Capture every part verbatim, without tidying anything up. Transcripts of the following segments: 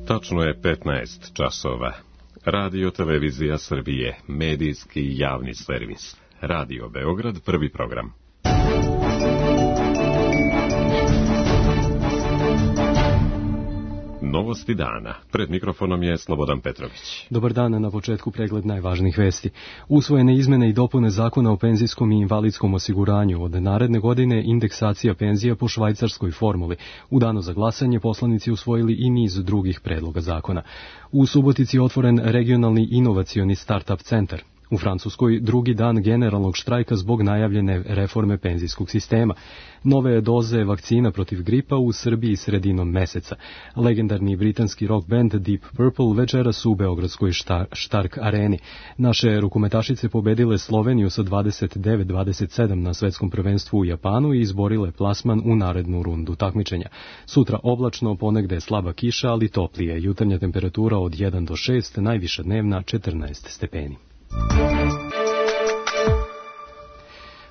Tačno je petnaest časova. Radio Televizija Srbije, medijski javni servis. Radio Beograd, prvi program. Novosti dana. Pred mikrofonom je Slobodan Petrović. Dobar dan, na početku pregled najvažnijih vesti. Usvojene izmene i dopune Zakona o penzijskom i invalidskom osiguranju. Od naredne godine indeksacija penzija po švajcarskoj formuli. U danu za glasanje poslanici usvojili i niz drugih predloga zakona. U Subotici je otvoren regionalni inovacioni start-up centar. U Francuskoj drugi dan generalnog štrajka zbog najavljene reforme penzijskog sistema. Nove doze vakcina protiv gripa u Srbiji sredinom meseca. Legendarni britanski rock band Deep Purple večeras u Beogradskoj Štark areni. Naše rukometašice pobedile Sloveniju sa dvadeset devet dvadeset sedam na svetskom prvenstvu u Japanu i izborile plasman u narednu rundu takmičenja. Sutra oblačno, ponegde slaba kiša, ali toplije. Jutarnja temperatura od jedan do šest, najviša dnevna četrnaest stepeni.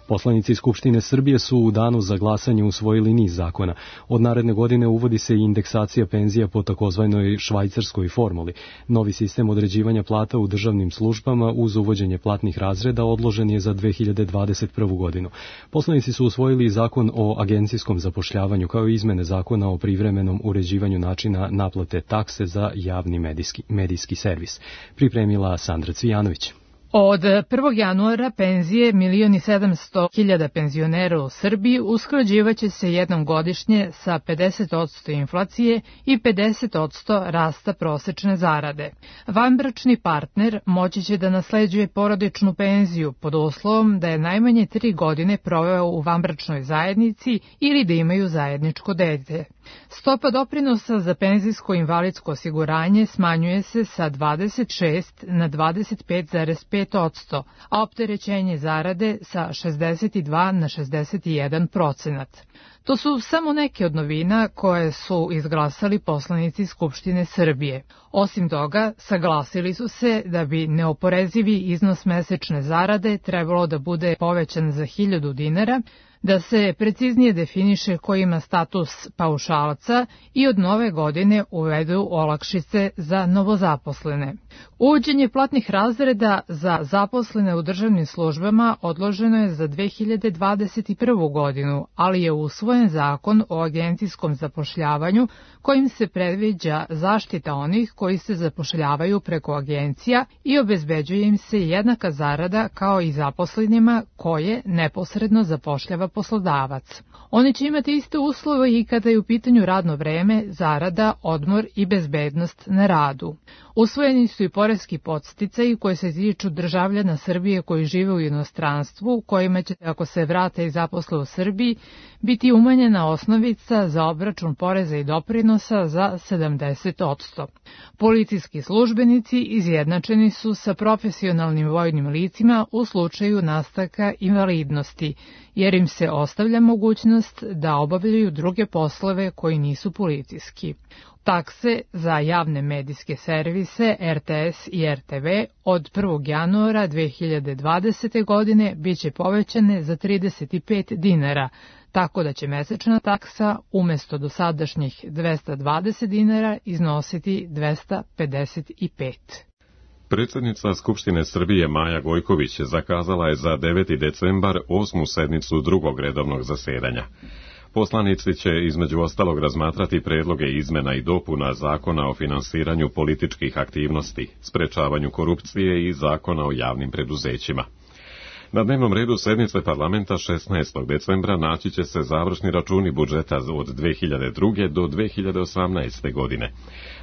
Poslanici Skupštine Srbije su u danu za glasanje usvojili niz zakona. Od naredne godine uvodi se i indeksacija penzija po takozvanoj švajcarskoj formuli. Novi sistem određivanja plata u državnim službama uz uvođenje platnih razreda odložen je za dve hiljade dvadeset prvu godinu. Poslanici su usvojili i zakon o agencijskom zapošljavanju kao i izmene zakona o privremenom uređivanju načina naplate takse za javni medijski, medijski servis. Pripremila Sandra Cvijanović. Od prvog januara penzije milion i sedamsto hiljada penzionera u Srbiji usklađivaće se jednom godišnje sa pedeset posto inflacije i pedeset posto rasta prosečne zarade. Vanbračni partner moći će da nasleđuje porodičnu penziju pod uslovom da je najmanje tri godine proveo u vanbračnoj zajednici ili da imaju zajedničko dete. Stopa doprinosa za penzijsko i invalidsko osiguranje smanjuje se sa dvadeset šest na dvadeset pet zarez pet posto, a opterećenje zarade sa šezdeset dva na šezdeset jedan procenat. To su samo neke od novina koje su izglasali poslanici Skupštine Srbije. Osim toga, saglasili su se da bi neoporezivi iznos mesečne zarade trebalo da bude povećan za hiljadu dinara, da se preciznije definiše ko ima status paušalca i od nove godine uvedu olakšice za novozaposlene. Uvođenje platnih razreda za zaposlene u državnim službama odloženo je za dve hiljade dvadeset prvu godinu, ali je usvojen zakon o agencijskom zapošljavanju kojim se predviđa zaštita onih koji se zapošljavaju preko agencija i obezbeđuje im se jednaka zarada kao i zaposlenima koje neposredno zapošljava poslodavac. Oni će imati iste uslove i kada je u pitanju radno vreme, zarada, odmor i bezbednost na radu. Usvojeni su i poreski podsticaji koji se tiču državljana Srbije koji žive u inostranstvu, kojima će, ako se vrate i zaposle u Srbiji, biti umanjena osnovica za obračun poreza i doprinosa za sedamdeset posto. Policijski službenici izjednačeni su sa profesionalnim vojnim licima u slučaju nastanka invalidnosti, jer im se ostavlja mogućnost da obavljaju druge poslove koji nisu policijski. Takse za javne medijske servise R T S i R T V od prvog januara dve hiljade dvadesete. godine biće povećane za trideset pet dinara, tako da će mesečna taksa umesto dosadašnjih dvesta dvadeset dinara iznositi dvesta pedeset pet. Predsjednica Skupštine Srbije Maja Gojković zakazala je za deveti decembar osmu sednicu drugog redovnog zasedanja. Poslanici će između ostalog razmatrati predloge izmena i dopuna Zakona o finansiranju političkih aktivnosti, sprečavanju korupcije i Zakona o javnim preduzećima. Na dnevnom redu sednice parlamenta šesnaestog decembra naći će se završni računi budžeta od dve hiljade druge. do dve hiljade osamnaeste. godine.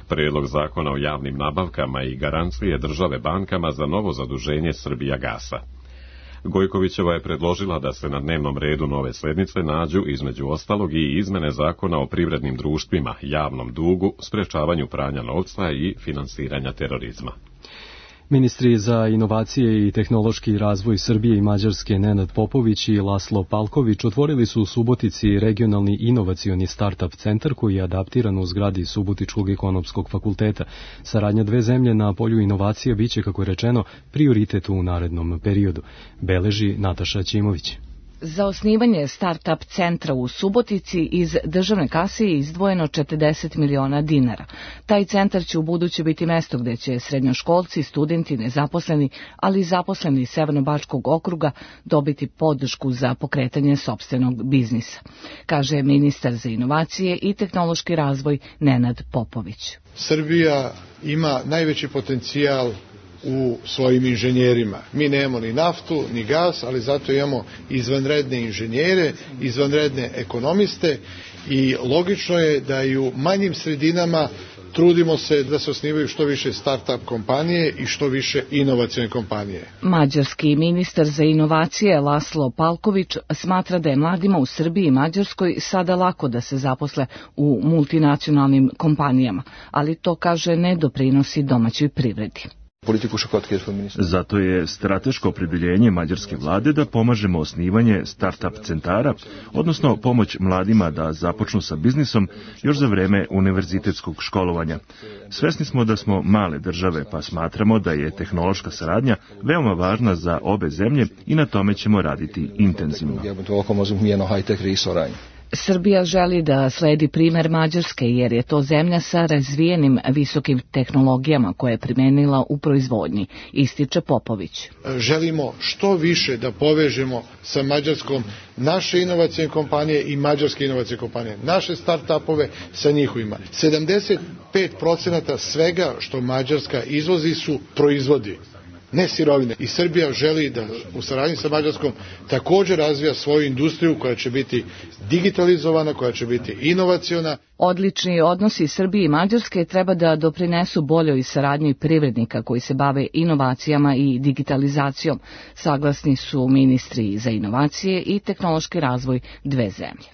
Predlog Zakona o javnim nabavkama i garancije države bankama za novo zaduženje Srbijagasa. Gojkovićeva je predložila da se na dnevnom redu nove sednice nađu između ostalog i izmene Zakona o privrednim društvima, javnom dugu, sprečavanju pranja novca i finansiranja terorizma. Ministri za inovacije i tehnološki razvoj Srbije i Mađarske Nenad Popović i Laslo Palković otvorili su u Subotici regionalni inovacioni start-up centar koji je adaptiran u zgradi Subotičkog ekonomskog fakulteta. Saradnja dve zemlje na polju inovacija biće, kako je rečeno, prioritet u narednom periodu, beleži Nataša Ćimović. Za osnivanje start-up centra u Subotici iz državne kase je izdvojeno četrdeset miliona dinara. Taj centar će u buduće biti mesto gde će srednjoškolci, studenti, nezaposleni, ali i zaposleni iz Severno-Bačkog okruga dobiti podršku za pokretanje sopstvenog biznisa, kaže ministar za inovacije i tehnološki razvoj Nenad Popović. Srbija ima najveći potencijal u svojim inženjerima. Mi nemamo ni naftu, ni gas, ali zato imamo izvanredne inženjere, izvanredne ekonomiste i logično je da i u manjim sredinama trudimo se da se osnivaju što više start-up kompanije i što više inovacione kompanije. Mađarski ministar za inovacije Laslo Palković smatra da je mladima u Srbiji i Mađarskoj sada lako da se zaposle u multinacionalnim kompanijama, ali to, kaže, ne doprinosi domaćoj privredi. Zato je strateško opredjeljenje mađarske vlade da pomažemo osnivanje start-up centara, odnosno pomoć mladima da započnu sa biznisom još za vreme univerzitetskog školovanja. Svesni smo da smo male države, pa smatramo da je tehnološka saradnja veoma važna za obe zemlje i na tome ćemo raditi intenzivno. Srbija želi da sledi primer Mađarske jer je to zemlja sa razvijenim visokim tehnologijama koje je primenila u proizvodnji, ističe Popović. Želimo što više da povežemo sa Mađarskom naše inovacijne kompanije i mađarske inovacijne kompanije, naše start-upove sa njihovima. sedamdeset pet procenata svega što Mađarska izvozi su proizvodi, ne sirovine. I Srbija želi da u saradnji sa Mađarskom također razvija svoju industriju koja će biti digitalizovana, koja će biti inovaciona. Odlični odnosi Srbije i Mađarske treba da doprinesu boljoj saradnji privrednika koji se bave inovacijama i digitalizacijom. Saglasni su ministri za inovacije i tehnološki razvoj dve zemlje.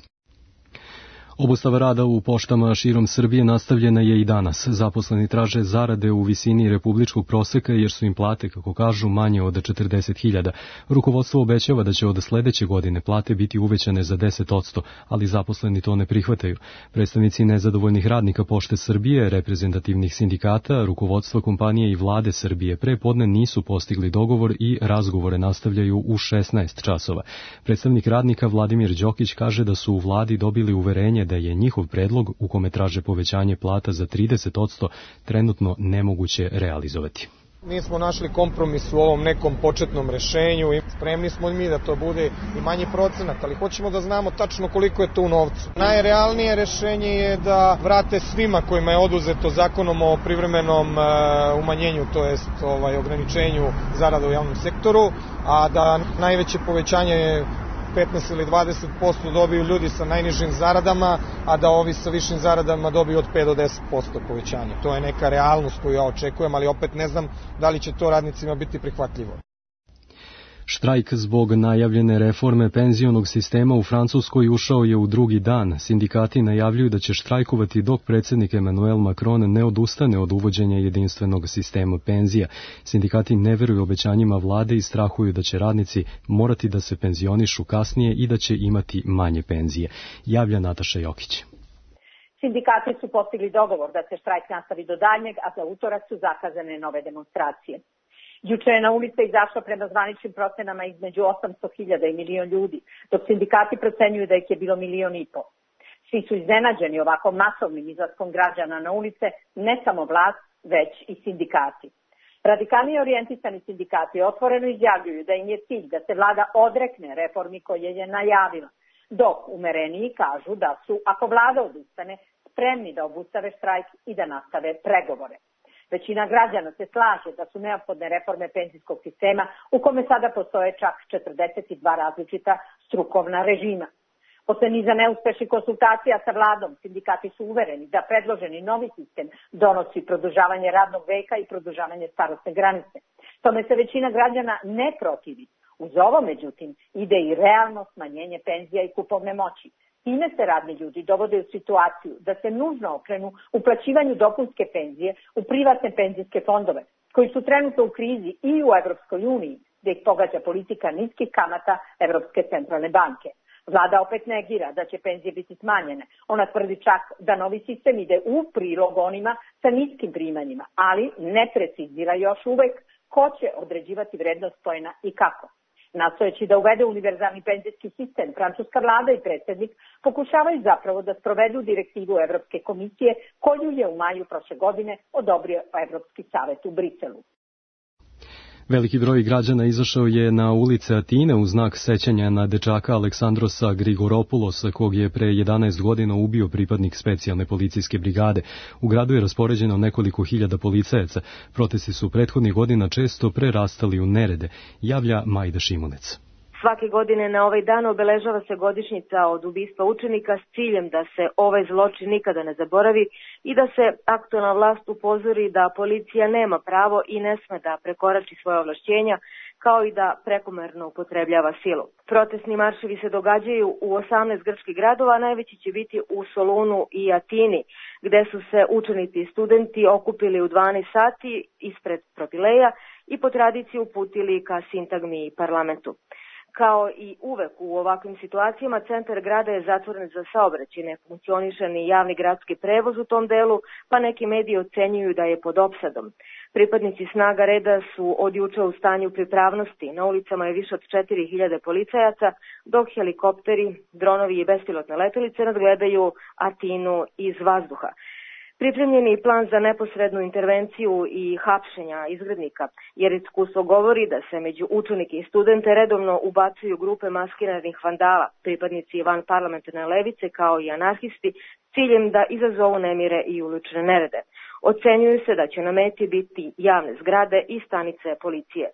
Obustava rada u poštama širom Srbije nastavljena je i danas. Zaposleni traže zarade u visini republičkog proseka jer su im plate, kako kažu, manje od četrdeset hiljada. Rukovodstvo obećava da će od sledeće godine plate biti uvećane za deset odsto, ali zaposleni to ne prihvataju. Predstavnici nezadovoljnih radnika Pošte Srbije, reprezentativnih sindikata, rukovodstva kompanije i vlade Srbije pre podne nisu postigli dogovor i razgovore nastavljaju u šesnaest časova. Predstavnik radnika Vladimir Đokić kaže da su u vladi dobili uverenje da je njihov predlog u kome traže povećanje plata za trideset odsto trenutno nemoguće realizovati. Mi smo našli kompromis u ovom nekom početnom rešenju i spremni smo mi da to bude i manji procenat, ali hoćemo da znamo tačno koliko je to u novcu. Najrealnije rešenje je da vrate svima kojima je oduzeto zakonom o privremenom umanjenju, to jest ovaj, ograničenju zarada u javnom sektoru, a da najveće povećanje petnaest ili dvadeset posto dobiju ljudi sa najnižim zaradama, a da ovi sa višim zaradama dobiju od pet do deset posto povećanja. To je neka realnost koju ja očekujem, ali opet ne znam da li će to radnicima biti prihvatljivo. Štrajk zbog najavljene reforme penzionog sistema u Francuskoj ušao je u drugi dan. Sindikati najavljuju da će štrajkovati dok predsjednik Emmanuel Macron ne odustane od uvođenja jedinstvenog sistema penzija. Sindikati ne veruju obećanjima vlade i strahuju da će radnici morati da se penzionišu kasnije i da će imati manje penzije. Javlja Nataša Jokić. Sindikati su postigli dogovor da se štrajk nastavi do daljnjeg, a za utorak su zakazane nove demonstracije. Juče je na ulice izašlo prema zvaničnim procenama između osamsto hiljada i milion ljudi, dok sindikati procenjuju da ih je bilo milion i po. Svi su iznenađeni ovako masovnim izlaskom građana na ulice, ne samo vlast, već i sindikati. Radikalnije orijentisani sindikati otvoreno izjavljuju da im je cilj da se vlada odrekne reformi koje je najavila, dok umereniji kažu da su, ako vlada odustane, spremni da obustave štrajk i da nastave pregovore. Većina građana se slaže da su neophodne reforme penzijskog sistema u kome sada postoje čak četrdeset dva različita strukovna režima. Posle niza neuspešnih konsultacija sa vladom, sindikati su uvereni da predloženi novi sistem donosi produžavanje radnog veka i produžavanje starosne granice. Tome se većina građana ne protivi. Uz ovo, međutim, ide i realno smanjenje penzija i kupovne moći. Time se radni ljudi dovode u situaciju da se nužno okrenu uplaćivanju dopunske penzije u privatne penzijske fondove, koji su trenutno u krizi i u Evropskoj uniji, gde ih pogađa politika niskih kamata Evropske centralne banke. Vlada opet negira da će penzije biti smanjene. Ona tvrdi čak da novi sistem ide u prilog onima sa niskim primanjima, ali ne precizira još uvek ko će određivati vrednost poena i kako. Nastojeći da uvede univerzalni penzijski sistem, francuska vlada i predsjednik pokušavaju zapravo da sprovedu direktivu Evropske komisije koju je u maju prošle godine odobrio Evropski savet u Briselu. Veliki broj građana izašao je na ulice Atine u znak sećanja na dečaka Aleksandrosa Grigoropulosa, kog je pre jedanaest godina ubio pripadnik specijalne policijske brigade. U gradu je raspoređeno nekoliko hiljada policajaca. Protesti su prethodnih godina često prerastali u nerede, javlja Majda Šimunec. Svake godine na ovaj dan obeležava se godišnjica od ubistva učenika s ciljem da se ovaj zločin nikada ne zaboravi i da se aktuelna vlast upozori da policija nema pravo i ne sme da prekorači svoje ovlašćenja, kao i da prekomerno upotrebljava silu. Protestni marševi se događaju u osamnaest grčkih gradova, a najveći će biti u Solunu i Atini, gde su se učenici i studenti okupili u dvanaest sati ispred Propileja i po tradiciji uputili ka sintagmi i parlamentu. Kao i uvek u ovakvim situacijama, centar grada je zatvoren za saobraćaj, ne funkcioniše ni javni gradski prevoz u tom delu, pa neki mediji ocenjuju da je pod opsadom. Pripadnici snaga reda su od juče u stanju pripravnosti. Na ulicama je više od četiri hiljade policajaca, dok helikopteri, dronovi i bespilotne letelice nadgledaju Atinu iz vazduha. Pripremljen je plan za neposrednu intervenciju i hapšenja izgrednika, jer iskustvo govori da se među učenike i studente redovno ubacuju grupe maskiranih vandala, pripadnici van parlamentarne levice kao i anarhisti, ciljem da izazovu nemire i ulične nerede. Ocenjuju se da će na meti biti javne zgrade i stanice policije.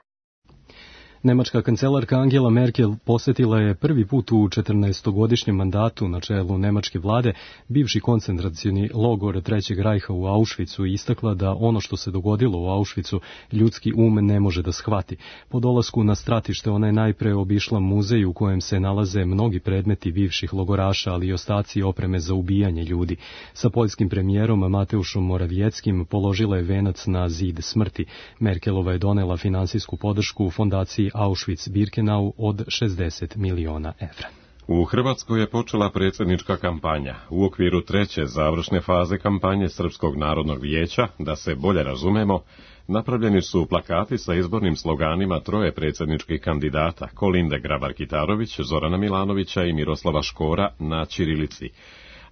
Nemačka kancelarka Angela Merkel posetila je prvi put u četrnaestogodišnjem mandatu na čelu nemačke vlade bivši koncentracioni logor Trećeg rajha u Auschwitzu i istakla da ono što se dogodilo u Auschwitzu ljudski um ne može da shvati. Po dolasku na stratište ona je najpre obišla muzej u kojem se nalaze mnogi predmeti bivših logoraša, ali i ostaci opreme za ubijanje ljudi. Sa poljskim premijerom Mateušom Morawieckim položila je venac na zid smrti. Merkelova je donela finansijsku podršku fondaciji Auschwitz-Birkenau od šezdeset miliona evra. U Hrvatskoj je počela predsjednička kampanja. U okviru treće završne faze kampanje Srpskog narodnog vijeća, da se bolje razumemo, napravljeni su plakati sa izbornim sloganima troje predsjedničkih kandidata, Kolinde Grabar-Kitarović, Zorana Milanovića i Miroslava Škora na ćirilici.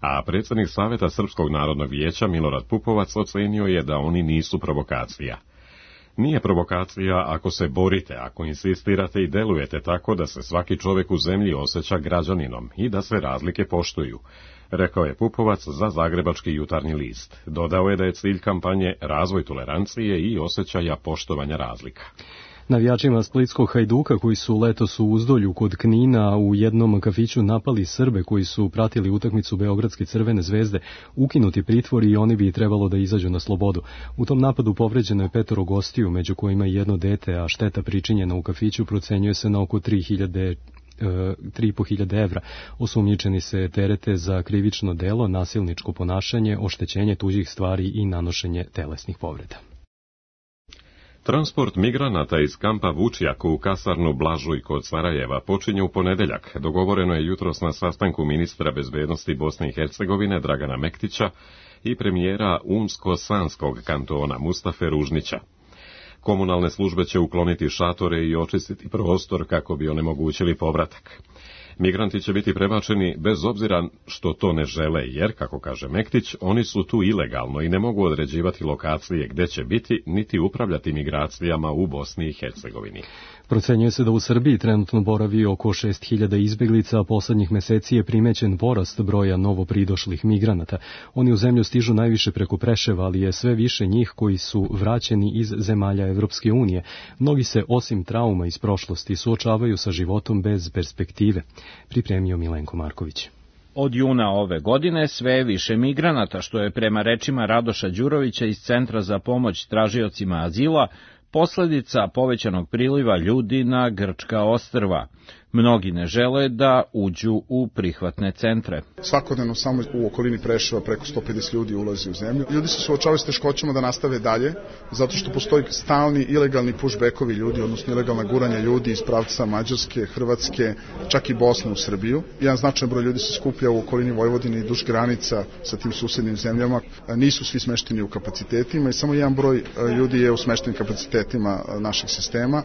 A predsjednik Saveta Srpskog narodnog vijeća Milorad Pupovac ocenio je da oni nisu provokacija. Nije provokacija ako se borite, ako insistirate i delujete tako da se svaki čovjek u zemlji osjeća građaninom i da se razlike poštuju, rekao je Pupovac za Zagrebački jutarnji list. Dodao je da je cilj kampanje razvoj tolerancije i osjećaja poštovanja razlika. Navijačima splitskog Hajduka koji su letos u Uzdolju kod Knina u jednom kafiću napali Srbe koji su pratili utakmicu Beogradske Crvene zvezde ukinuti pritvor i oni bi trebalo da izađu na slobodu. U tom napadu povređeno je petoro gostiju, među kojima i jedno dete, a šteta pričinjena u kafiću procenjuje se na oko tri hiljade tri i po hiljade evra. Osumnjičeni se terete za krivično delo, nasilničko ponašanje, oštećenje tuđih stvari i nanošenje telesnih povreda. Transport migranata iz kampa Vučjak u kasarnu Blažuj kod Sarajeva počinje u ponedeljak. Dogovoreno je jutros na sastanku ministra bezbednosti Bosne i Hercegovine Dragana Mektića i premijera Unsko-Sanskog kantona Mustafe Ružnića. Komunalne službe će ukloniti šatore i očistiti prostor kako bi onemogućili povratak. Migranti će biti prebačeni bez obzira što to ne žele, jer, kako kaže Mektić, oni su tu ilegalno i ne mogu određivati lokacije gde će biti, niti upravljati migracijama u Bosni i Hercegovini. Procenjuje se da u Srbiji trenutno boravi oko šest hiljada izbeglica, a poslednjih meseci je primećen porast broja novopridošlih migranata. Oni u zemlju stižu najviše preko Preševa, ali je sve više njih koji su vraćeni iz zemalja Evropske unije. Mnogi se, osim trauma iz prošlosti, suočavaju sa životom bez perspektive. Pripremio Milenko Marković. Od juna ove godine sve je više migranata, što je prema rečima Radoša Đurovića iz Centra za pomoć tražiocima azila posledica povećanog priliva ljudi na grčka ostrva. Mnogi ne žele da uđu u prihvatne centre. Svakodnevno samo u okolini Preševa preko sto pedeset ljudi ulazi u zemlju. Ljudi se suočavaju s teškoćama da nastave dalje, zato što postoji stalni ilegalni pushbackovi ljudi, odnosno ilegalna guranja ljudi iz pravca Mađarske, Hrvatske, čak i Bosne u Srbiju. Jedan značajan broj ljudi se skuplja u okolini Vojvodine i duž granica sa tim susednim zemljama. Nisu svi smešteni u kapacitetima i samo jedan broj ljudi je u smeštenim kapacitetima našeg sistema,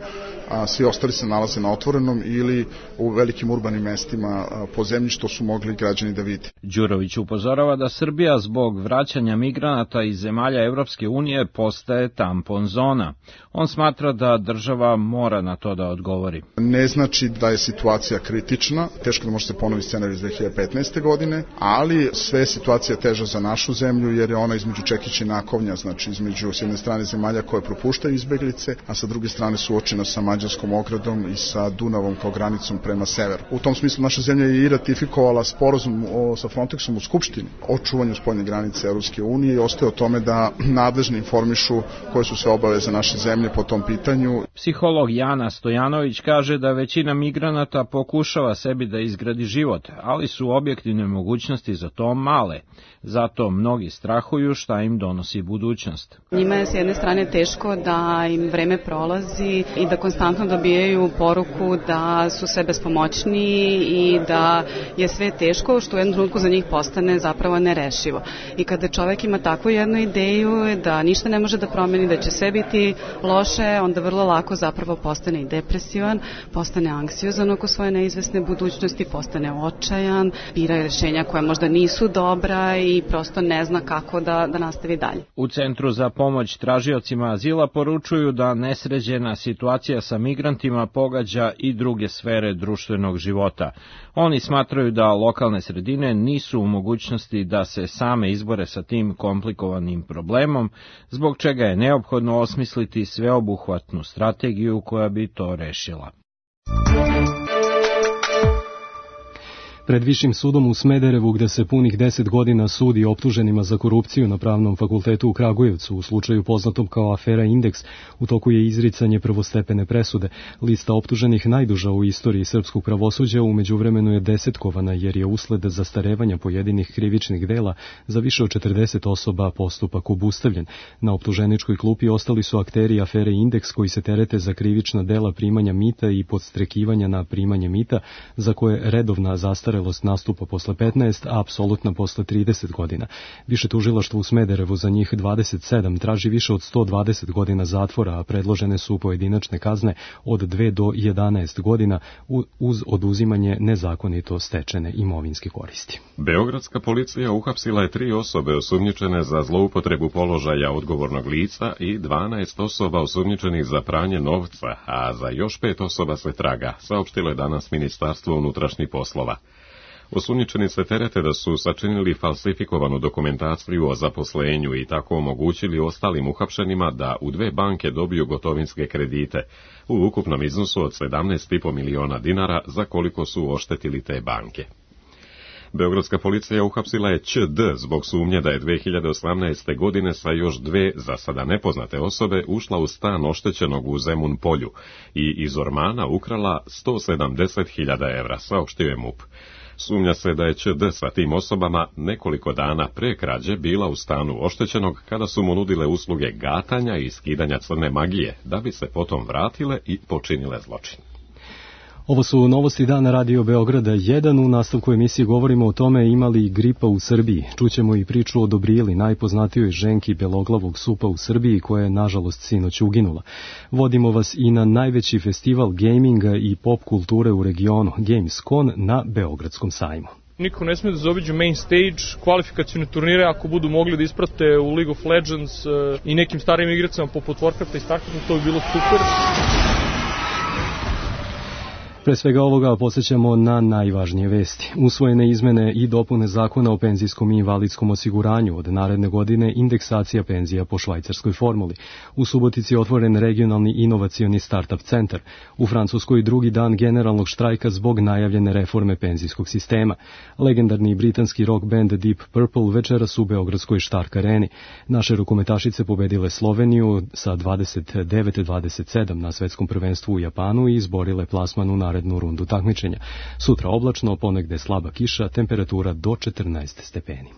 a svi ostali se nalaze na otvorenom ili u velikim urbanim mestima po zemlji, što su mogli građani da vide. Đurović upozorava da Srbija zbog vraćanja migranata iz zemalja Evropske unije postaje tampon zona. On smatra da država mora na to da odgovori. Ne znači da je situacija kritična, teško da može se ponovi scenarij iz dve hiljade petnaeste. godine, ali sve je situacija teža za našu zemlju jer je ona između čekića i nakovnja, znači između s jedne strane zemalja koje propuštaju izbeglice, a sa druge strane suočena sa mađarskom ogradom i sa Dunavom kao granicom prema severu. U tom smislu naša zemlja je i ratifikovala sporazum o, sa Frontexom u Skupštini o čuvanju spoljne granice Evropske unije i ostaje o tome da nadležni informišu koje su sve obaveze naše zemlje po tom pitanju. Psiholog Jana Stojanović kaže da većina migranata pokušava sebi da izgradi život, ali su objektivne mogućnosti za to male. Zato mnogi strahuju šta im donosi budućnost. Njima je s jedne strane teško da im vreme prolazi i da konstantno dobijaju poruku da su sve bespomoćni i da je sve teško, što u jednom trenutku za njih postane zapravo nerešivo. I kada čovek ima takvu jednu ideju da ništa ne može da promeni, da će sve biti loše, onda vrlo lako zapravo postane i depresivan, postane anksiozan oko svoje neizvesne budućnosti, postane očajan, bira rešenja koja možda nisu dobra i prosto ne zna kako da, da nastavi dalje. U Centru za pomoć tražiocima azila poručuju da nesređena situacija sa migrantima pogađa i druge sfere društvenog života. Oni smatraju da lokalne sredine nisu u mogućnosti da se same izbore sa tim komplikovanim problemom, zbog čega je neophodno osmisliti sveobuhvatnu strategiju koja bi to rešila. Pred Višim sudom u Smederevu, gde se punih deset godina sudi optuženima za korupciju na Pravnom fakultetu u Kragujevcu u slučaju poznatom kao afera Indeks, u toku je izricanje prvostepene presude. Lista optuženih najduža u istoriji srpskog pravosuđa u međuvremenu je desetkovana jer je usled zastarevanja pojedinih krivičnih dela za više od četrdeset osoba postupak obustavljen. Na optuženičkoj klupi ostali su akteri afere Indeks koji se terete za krivična dela primanja mita i podstrekivanja na primanje mita, za koje redovna zastarevanja nastupa posle petnaest, a apsolutna posle trideset godina. Više tužilaštvo u Smederevu za njih dvadeset sedam traži više od sto dvadeset godina zatvora, a predložene su pojedinačne kazne od dve do jedanaest godina uz oduzimanje nezakonito stečene imovinske koristi. Beogradska policija uhapsila je tri osobe osumnjičene za zloupotrebu položaja odgovornog lica i dvanaest osoba osumnjičenih za pranje novca, a za još pet osoba se traga, saopštilo je danas Ministarstvo unutrašnjih poslova. Osumnjičeni se terete da su sačinili falsifikovanu dokumentaciju o zaposlenju i tako omogućili ostalim uhapšenima da u dve banke dobiju gotovinske kredite u ukupnom iznosu od sedamnaest i po miliona dinara za koliko su oštetili te banke. Beogradska policija uhapsila je Ć D zbog sumnje da je dve hiljade osamnaeste. godine sa još dve za sada nepoznate osobe ušla u stan oštećenog u Zemun polju i iz ormana ukrala sto sedamdeset hiljada evra, saopštio je M U P. Sumnja se da je Ć D sa tim osobama nekoliko dana pre krađe bila u stanu oštećenog kada su mu nudile usluge gatanja i skidanja crne magije, da bi se potom vratile i počinile zločin. Ovo su novosti dana Radio Beograda jedan. U nastavku emisije govorimo o tome ima li gripa u Srbiji. Čućemo i priču o Dobrili, najpoznatijoj ženki beloglavog supa u Srbiji, koja je nažalost sinoć uginula. Vodimo vas i na najveći festival gaminga i pop kulture u regionu, Gamescon, na Beogradskom sajmu. Niko ne sme da zaobiđe main stage, kvalifikacione turnire, ako budu mogli da isprate u League of Legends i nekim starim igracama poput Warcrafta i Starcrafta, to bi bilo super. Pre svega ovoga podsjećamo na najvažnije vesti. Usvojene izmene i dopune zakona o penzijskom i invalidskom osiguranju. Od naredne godine indeksacija penzija po švajcarskoj formuli. U Subotici je otvoren regionalni inovacioni start-up centar. U Francuskoj drugi dan generalnog štrajka zbog najavljene reforme penzijskog sistema. Legendarni britanski rock band Deep Purple večeras u Beogradskoj Štark areni. Naše rukometašice pobedile Sloveniju sa dvadeset devet dvadeset sedam na svetskom prvenstvu u Japanu i izborile plasman u narednu rundu takmičenja. Sutra oblačno, ponegde slaba kiša, temperatura do četrnaest stepeni.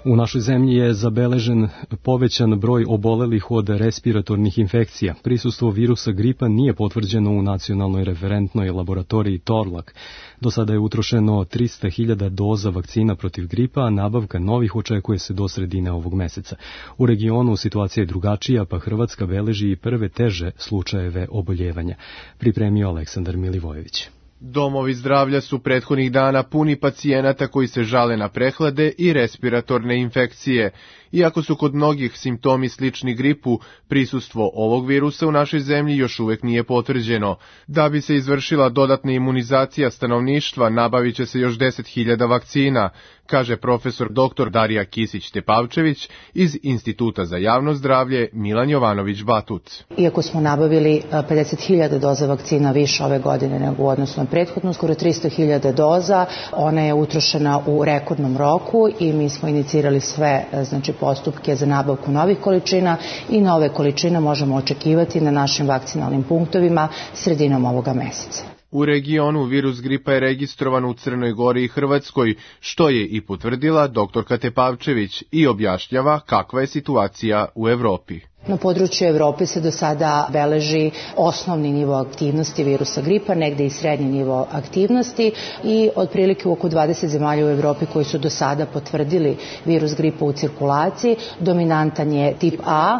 U našoj zemlji je zabeležen povećan broj obolelih od respiratornih infekcija. Prisustvo virusa gripa nije potvrđeno u nacionalnoj referentnoj laboratoriji Torlak. Do sada je utrošeno trista hiljada doza vakcina protiv gripa, a nabavka novih očekuje se do sredine ovog meseca. U regionu situacija je drugačija, pa Hrvatska beleži i prve teže slučajeve oboljevanja. Pripremio Aleksandar Milivojević. Domovi zdravlja su prethodnih dana puni pacijenata koji se žale na prehlade i respiratorne infekcije. Iako su kod mnogih simptomi slični gripu, prisustvo ovog virusa u našoj zemlji još uvek nije potvrđeno. Da bi se izvršila dodatna imunizacija stanovništva, nabavit će se još deset hiljada vakcina, kaže profesor doktor Darija Kisić-Tepavčević iz Instituta za javno zdravlje Milan Jovanović-Batut. Iako smo nabavili pedeset hiljada doza vakcina više ove godine nego u odnosu na prethodno, skoro tristo hiljada doza, ona je utrošena u rekordnom roku i mi smo inicirali sve, znači, postupke za nabavku novih količina i nove količine možemo očekivati na našim vakcinalnim punktovima sredinom ovoga meseca. U regionu virus gripa je registrovan u Crnoj Gori i Hrvatskoj, što je i potvrdila doktorka Tepavčević i objašnjava kakva je situacija u Evropi. Na području Evrope se do sada beleži osnovni nivo aktivnosti virusa gripa, negde i srednji nivo aktivnosti i otprilike u oko dvadeset zemalja u Evropi koji su do sada potvrdili virus gripa u cirkulaciji. Dominantan je tip A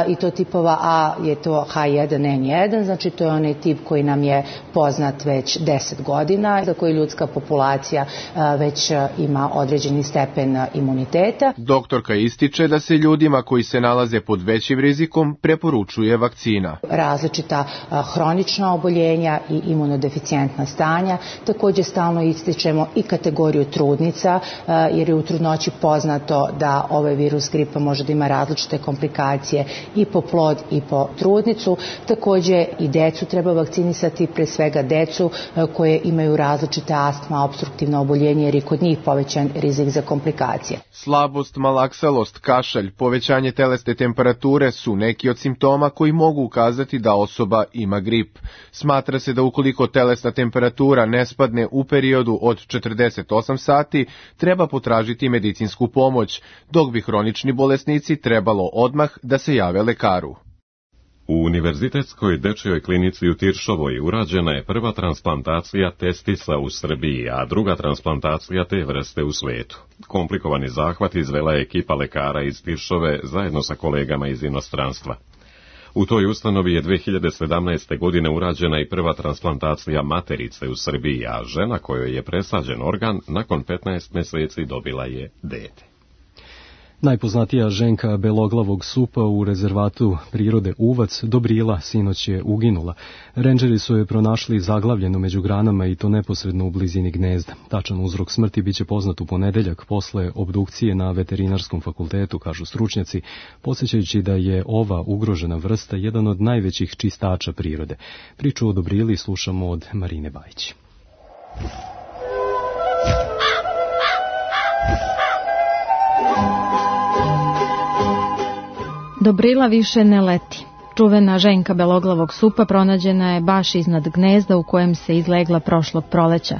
i to tipova A je to H jedan N jedan, znači to je onaj tip koji nam je poznat već deset godina, za koji ljudska populacija već ima određeni stepen imuniteta. Doktorka ističe da se ljudima koji se nalaze pod većim rizikom preporučuje vakcina. Različita hronična oboljenja i imunodeficijentna stanja. Također stalno ističemo i kategoriju trudnica, jer je u trudnoći poznato da ovaj virus gripa može da ima različite komplikacije i po plod i po trudnicu. Također i decu treba vakcinisati, pre svega decu koje imaju različite astma, opstruktivno oboljenje, jer je kod njih povećan rizik za komplikacije. Slabost, malaksalost, kašalj, povećanje telesne temperature su neki od simptoma koji mogu ukazati da osoba ima grip. Smatra se da ukoliko telesna temperatura ne spadne u periodu od četrdeset osam sati, treba potražiti medicinsku pomoć, dok bi hronični bolesnici trebalo odmah da se jave lekaru. U Univerzitetskoj dečjoj klinici u Tiršovoj urađena je prva transplantacija testisa u Srbiji, a druga transplantacija te vrste u svetu. Komplikovani zahvat izvela je ekipa lekara iz Tiršove zajedno sa kolegama iz inostranstva. U toj ustanovi je dve hiljade sedamnaeste. godine urađena i prva transplantacija materice u Srbiji, a žena kojoj je presađen organ nakon petnaest meseci dobila je dete. Najpoznatija ženka beloglavog supa u rezervatu prirode Uvac, Dobrila, sinoć je uginula. Rendžeri su je pronašli zaglavljeno među granama i to neposredno u blizini gnezda. Tačan uzrok smrti biće poznat u ponedeljak posle obdukcije na veterinarskom fakultetu, kažu stručnjaci, podsjećajući da je ova ugrožena vrsta jedan od najvećih čistača prirode. Priču o Dobrili slušamo od Marine Bajić. Dobrila više ne leti. Čuvena ženka beloglavog supa pronađena je baš iznad gnezda u kojem se izlegla prošlog proleća.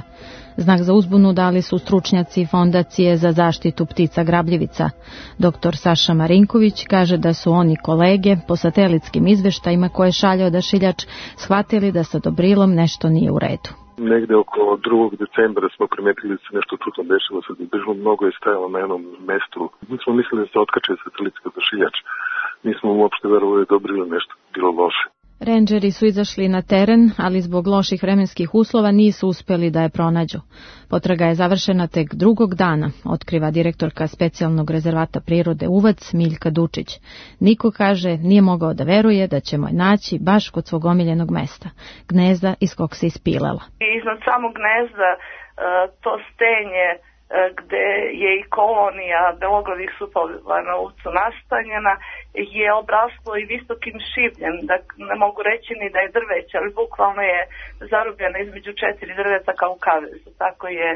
Znak za uzbunu dali su stručnjaci Fondacije za zaštitu ptica grabljivica. Doktor Saša Marinković kaže da su oni kolege po satelitskim izveštajima koje šalje odašiljač shvatili da sa Dobrilom nešto nije u redu. Negde oko drugog decembra smo primetili da se nešto čudno dešava sa Dobrilom, mnogo je stajalo na jednom mestu. Mi smo mislili da se otkače satelitski odašiljač. Nismo uopšte verovali da je Dobrilo nešto bilo loše. Rendžeri su izašli na teren, ali zbog loših vremenskih uslova nisu uspeli da je pronađu. Potraga je završena tek drugog dana, otkriva direktorka specijalnog rezervata prirode Uvac Miljka Dučić. Niko, kaže, nije mogao da veruje da ćemo je naći baš kod svog omiljenog mesta, gnezda iz kog se ispilela. Iznad samog gnezda to stenje gde je i kolonija beloglavih supova na Uvcu nastanjena, je obraslo i visokim šivljem, da ne mogu reći ni da je drveće, ali bukvalno je zarobljeno između četiri drveta kao u kavezu, tako je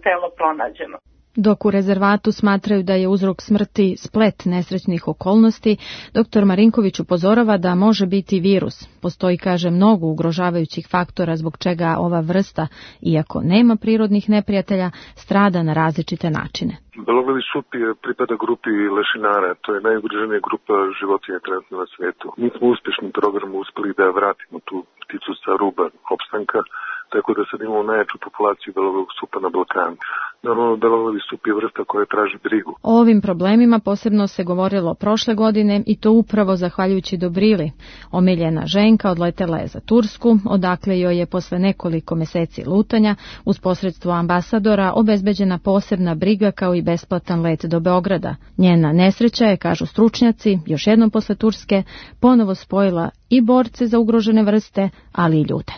telo pronađeno. Dok u rezervatu smatraju da je uzrok smrti splet nesrećnih okolnosti, doktor Marinković upozorava da može biti virus. Postoji, kaže, mnogo ugrožavajućih faktora zbog čega ova vrsta, iako nema prirodnih neprijatelja, strada na različite načine. Beloglavi sup je pripada grupi lešinara, to je najugroženija grupa životinja trenutno na svetu. Mi smo uspešnim programom uspeli da vratimo tu pticu sa ruba opstanka, tako da sad imamo najjaču populaciju beloglavog supa na Balkanu. Normalno, beloglavi sup je vrsta koja traži brigu. O ovim problemima posebno se govorilo prošle godine i to upravo zahvaljujući Dobrili. Omiljena ženka odletela je za Tursku, odakle joj je posle nekoliko meseci lutanja uz posredstvo ambasadora obezbeđena posebna briga kao i besplatan let do Beograda. Njena nesreća je, kažu stručnjaci, još jednom posle Turske ponovo spojila i borce za ugrožene vrste, ali i ljude.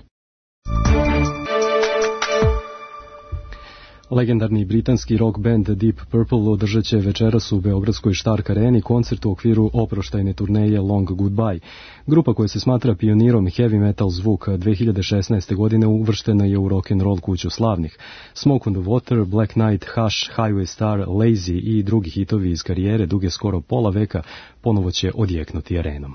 Legendarni britanski rock band Deep Purple održat će večeras u beogradskoj Stark Areni koncert u okviru oproštajne turneje Long Goodbye. Grupa koja se smatra pionirom heavy metal zvuka dve hiljade šesnaeste. godine uvrštena je u rock and roll kuću slavnih. Smoke on the Water, Black Knight, Hush, Highway Star, Lazy i drugi hitovi iz karijere duge skoro pola veka ponovo će odjeknuti arenom.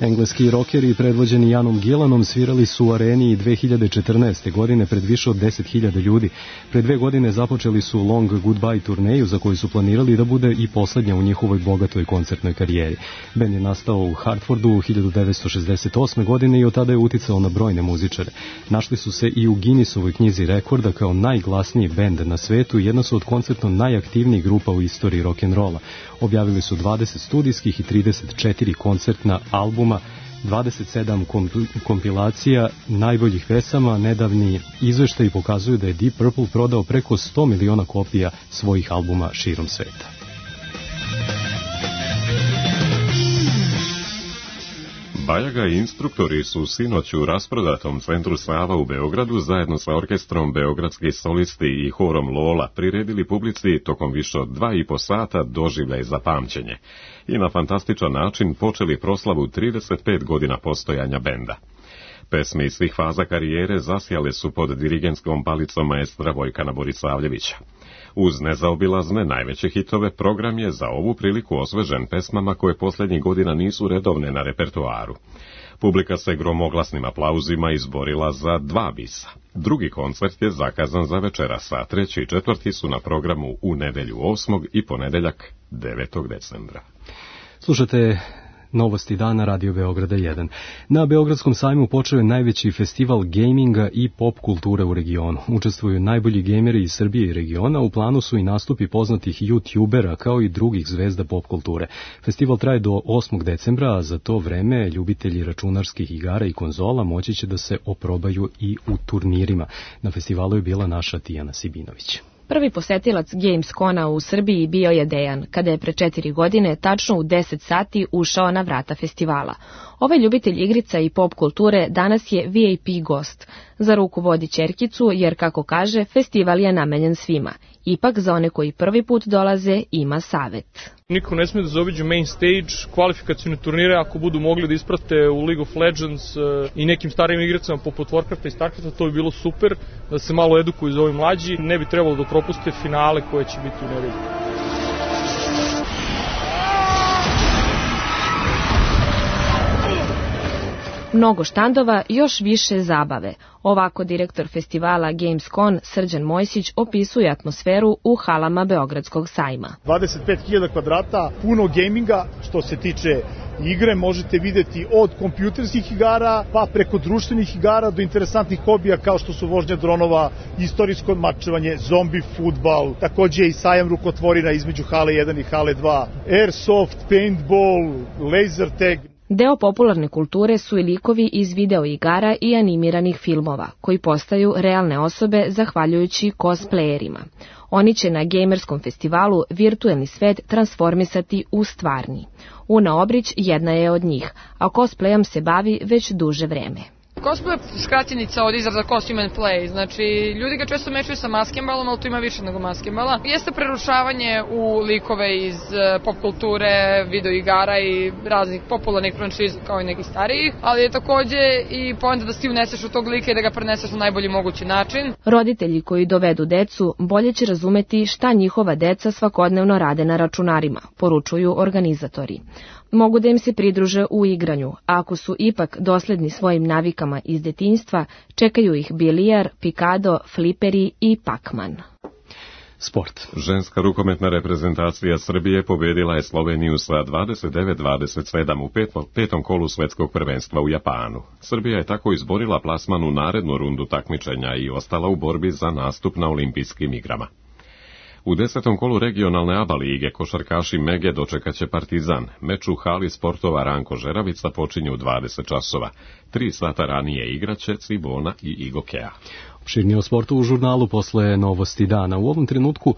Engleski rokeri predvođeni Janom Gillanom svirali su u areni dve hiljade četrnaeste. godine pred više od deset hiljada ljudi. Pre dve godine započeli su Long Goodbye turneju za koju su planirali da bude i poslednja u njihovoj bogatoj koncertnoj karijeri. Bend je nastao u Hartfordu hiljadu devetsto šezdeset osme. godine i od tada je uticao na brojne muzičare. Našli su se i u Guinnessovoj knjizi rekorda kao najglasniji bend na svetu i jedna su od koncertno najaktivnijih grupa u istoriji rock'n'rolla. Objavili su dvadeset studijskih i trideset četiri koncertna albuma, dvadeset sedam kompilacija najboljih pesama. Nedavni izveštaji pokazuju da je Deep Purple prodao preko sto miliona kopija svojih albuma širom sveta. Bajaga i instruktori su sinoć u rasprodatom centru Sava u Beogradu zajedno sa orkestrom Beogradski solisti i horom Lola priredili publici tokom više od dva i po sata doživljaj za pamćenje i na fantastičan način počeli proslavu trideset pet godina postojanja benda. Pesme iz svih faza karijere zasjale su pod dirigentskom palicom maestra Vojkana Borisavljevića. Uz nezaobilazne najveće hitove, program je za ovu priliku osvežen pesmama koje posljednjih godina nisu redovne na repertoaru. Publika se gromoglasnim aplauzima izborila za dva bisa. Drugi koncert je zakazan za večeras, a treći i četvrti su na programu u nedelju osmog i ponedeljak devetog decembra. Slušate Novosti dana Radio Beograda jedan. Na Beogradskom sajmu počeo je najveći festival gaminga i pop kulture u regionu. Učestvuju najbolji gejmeri iz Srbije i regiona, u planu su i nastupi poznatih youtubera kao i drugih zvezda pop kulture. Festival traje do osmog decembra, a za to vreme ljubitelji računarskih igara i konzola moći će da se oprobaju i u turnirima. Na festivalu je bila naša Tijana Sibinović. Prvi posetilac Gamescona u Srbiji bio je Dejan, kada je pre četiri godine, tačno u deset sati, ušao na vrata festivala. Ovaj ljubitelj igrica i pop kulture danas je V I P gost. Za ruku vodi ćerkicu, jer, kako kaže, festival je namenjen svima. Ipak, za one koji prvi put dolaze, ima savet. Niko ne smije da zaobiđe main stage, kvalifikacijne turnire, ako budu mogli da isprate u League of Legends i nekim starijim igricama poput Warcrafta i Starcrafta, to bi bilo super, da se malo edukuju za ovi mlađi. Ne bi trebalo da propuste finale koje će biti u nedelju. Mnogo štandova, još više zabave. Ovako direktor festivala Gamescon Srđan Mojsić opisuje atmosferu u halama Beogradskog sajma. dvadeset pet hiljada kvadrata, puno gaminga što se tiče igre, možete videti od kompjuterskih igara pa preko društvenih igara do interesantnih hobija kao što su vožnja dronova, istorijsko mačevanje, zombi fudbal, takođe i sajam rukotvorina između hale jedan i hale dva, airsoft, paintball, laser tag. Deo popularne kulture su i likovi iz video igara i animiranih filmova, koji postaju realne osobe zahvaljujući cosplayerima. Oni će na gamerskom festivalu virtuelni svet transformisati u stvarni. Una Obrić jedna je od njih, a cosplayom se bavi već duže vreme. Cosplay je skraćenica od izraza costume and play, znači ljudi ga često mešaju sa maskembalom, ali tu ima više nego maskembala. Jeste prerušavanje u likove iz pop kulture, video igara i raznih popularnih franšiza kao i nekih starijih, ali je takođe i poenta da si uneseš u tog lika i da ga preneseš na najbolji mogući način. Roditelji koji dovedu decu bolje će razumeti šta njihova deca svakodnevno rade na računarima, poručuju organizatori. Mogu da im se pridruže u igranju, a ako su ipak dosledni svojim navikama iz detinjstva, čekaju ih bilijar, pikado, fliperi i pakman. Sport. Ženska rukometna reprezentacija Srbije pobedila je Sloveniju sa dvadeset devet dvadeset sedam u petom kolu svetskog prvenstva u Japanu. Srbija je tako izborila plasman u narednu rundu takmičenja i ostala u borbi za nastup na olimpijskim igrama. U desetom kolu regionalne A B A lige košarkaši Mege dočekaće Partizan. Meč u hali sportova Ranko Žeravica počinje u dvadeset časova. Tri sata ranije igraće Cibona i Igokea. Opširnije o sportu u žurnalu posle novosti dana. U ovom trenutku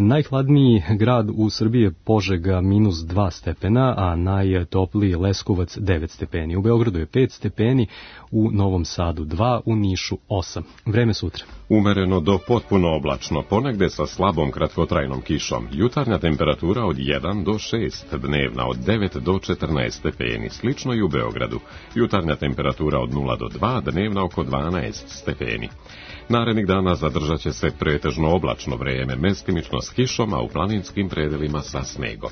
najhladniji grad u Srbiji je Požega minus dva stepena, a najtopliji Leskovac devet stepeni. U Beogradu je pet stepeni, u Novom Sadu dva, u Nišu osam. Vreme sutra. Umereno do potpuno oblačno, ponegde sa slabom kratkotrajnom kišom. Jutarnja temperatura od jedan do šest, dnevna od devet do četrnaest stepeni, slično i u Beogradu. Jutarnja temperatura od nula do dva, dnevna oko dvanaest stepeni. Narednih dana zadržat će se pretežno oblačno vreme, mestimično s kišom, a u planinskim predelima sa snegom.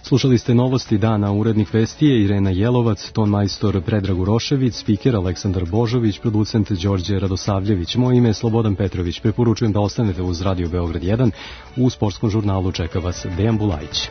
Slušali ste novosti dana, urednik vesti je Irena Jelovac, ton majstor Predrag Urošević, spiker Aleksandar Božović, producent Đorđe Radosavljević. Moje ime je Slobodan Petrović. Preporučujem da ostanete uz Radio Beograd jedan. U sportskom žurnalu čeka vas Dejan Bulajić.